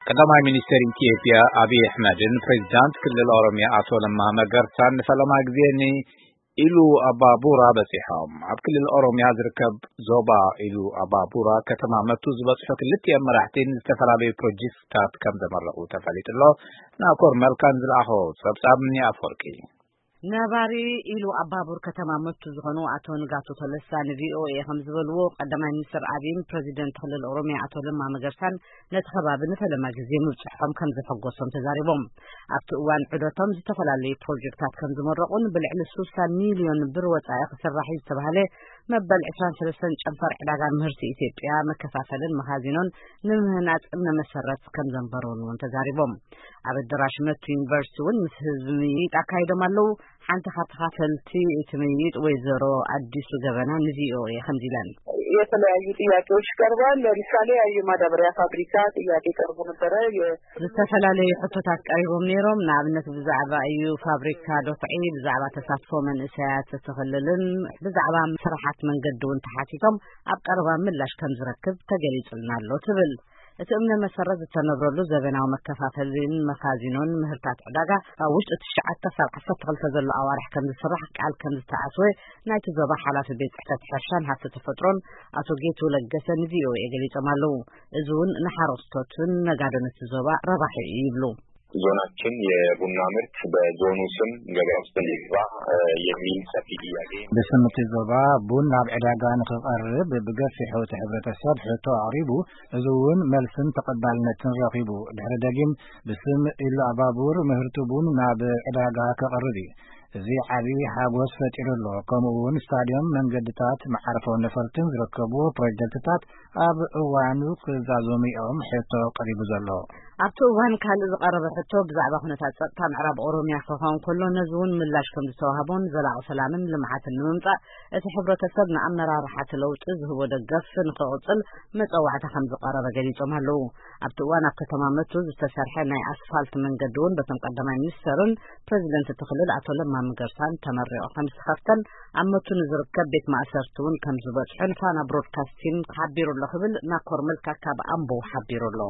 ቀዳማይ ሚኒስትር ኢትዮጵያ ኣብይ ኣሕመድን ፕሬዚዳንት ክልል ኦሮሚያ ኣቶ ለማ መገርሳን ንፈለማ ግዜ ንኢሉ ኣባቡራ በጺሖም። ኣብ ክልል ኦሮሚያ ዝርከብ ዞባ ኢሉ ኣባቡራ ከተማ መቱ ዝበጽሑ ክልቲኦም መራሕቲ ዝተፈላለዩ ፕሮጀክትታት ከም ዘመረቑ ተፈሊጡ ኣሎ። ናኮር መልካን ዝለኣኾ ጸብጻብ እኒ ኣፈወርቂ። ነባሪ ኢሉ ኣባቡር ከተማ መቱ ዝኾኑ ኣቶ ንጋቱ ተለሳ ንቪኦኤ ከም ዝበልዎ፣ ቀዳማይ ሚኒስትር ኣብይን ፕሬዚደንት ክልል ኦሮሚያ ኣቶ ለማ መገርሳን ነቲ ከባቢ ንፈለማ ግዜ ምብፅሖም ከም ዘሐጎሶም ተዛሪቦም። ኣብቲ እዋን ዑደቶም ዝተፈላለዩ ፕሮጀክታት ከም ዝመረቑን ብልዕሊ ስሳ ሚልዮን ብር ወፃኢ ክስራሕ እዩ ዝተባህለ መበል ዕስራን ሰለስተን ጨንፈር ዕዳጋ ምህርቲ ኢትዮጵያ መከፋፈልን መኻዚኖን ንምህናፅ እምነ መሰረት ከም ዘንበሩን እውን ተዛሪቦም። ኣብ ኣደራሽ መቱ ዩኒቨርሲቲ እውን ምስ ህዝቢ ምይይጥ ኣካይዶም ኣለዉ። ሓንቲ ካብ ተኻፈልቲ እቲ ምይይጥ ወይዘሮ ኣዲሱ ገበና ንቪኦኤ ከምዚ ኢለን። የተለያዩ ጥያቄዎች ቀርበዋል። ለምሳሌ የማዳበሪያ ፋብሪካ ጥያቄ ቀርቦ ነበረ። የ- ዝተፈላለዩ ሕቶታት ቀሪቦም ነይሮም። ንኣብነት ብዛዕባ እዩ ፋብሪካ ዶፍዒ፣ ብዛዕባ ተሳትፎ መንእሰያት እቲ ክልልን ብዛዕባ ስራሓት መንገዲ እውን ተሓቲቶም ኣብ ቀረባ ምላሽ ከም ዝረክብ ተገሊጹልና ኣሎ ትብል። እቲ እምነ መሰረት ዝተነብረሉ ዘበናዊ መከፋፈልን መኻዚኖን ምህርታት ዕዳጋ ኣብ ውሽጢ ትሽዓተ ክሳብ ዓሰርተ ክልተ ዘሎ ኣዋርሕ ከም ዝስራሕ ቃል ከም ዝተዓስወ ናይቲ ዞባ ሓላፊ ቤት ጽሕፈት ሕርሻን ሃፍቲ ተፈጥሮን ኣቶ ጌቱ ለገሰ ንቪኦኤ ገሊጾም ኣለዉ። እዚ እውን ንሓረስቶትን ነጋዶን እቲ ዞባ ረባሒ እዩ ይብሉ። ዞናችን የቡና ምርት በዞኑ ስም ገበያ ውስጥ እንዲገባ የሚል ሰፊ ጥያቄ። ብስም እቲ ዞባ ቡን ናብ ዕዳጋ ንክቐርብ ብገፊሑ እቲ ሕብረተሰብ ሕቶ ኣቕሪቡ፣ እዚ እውን መልስን ተቐባልነትን ረኺቡ። ድሕሪ ደጊም ብስም ኢሉ ኣባቡር ምህርቲ ቡን ናብ ዕዳጋ ክቐርብ እዩ። እዚ ዓቢ ሓጎስ ፈጢሩ ኣሎ። ከምኡ እውን ስታድዮም፣ መንገድታት፣ መዓርፎ ነፈርትን ዝርከቡ ፕሮጀክትታት ኣብ እዋኑ ክዛዘሙ እዮም ሕቶ ቀሪቡ ዘሎ። ኣብቲ እዋን ካልእ ዝቐረበ ሕቶ ብዛዕባ ኩነታት ጸጥታ ምዕራብ ኦሮሚያ ክኸውን ከሎ፣ ነዚ እውን ምላሽ ከም ዝተዋህቦን ዘላቒ ሰላምን ልምዓትን ንምምጻእ እቲ ሕብረተሰብ ንኣመራርሓ እቲ ለውጢ ዝህቦ ደገፍ ንክቕጽል መጸዋዕታ ከም ዝቐረበ ገሊጾም ኣለዉ። ኣብቲ እዋን ኣብ ከተማ መቱ ዝተሰርሐ ናይ ኣስፋልት መንገዲ እውን በቶም ቀዳማይ ሚኒስተርን ፕሬዚደንት እቲ ክልል ኣቶ ለማ መገርሳን ተመሪቑ ከም ዝተኸፍተን ኣብ መቱ ንዝርከብ ቤት ማእሰርቲ እውን ከም ዝበጽሑ ንፋና ብሮድካስቲንግ ሓቢሩ ኣሎ ክብል ናኮር መልካ ካብ ኣምቦ ሓቢሩ ኣሎ።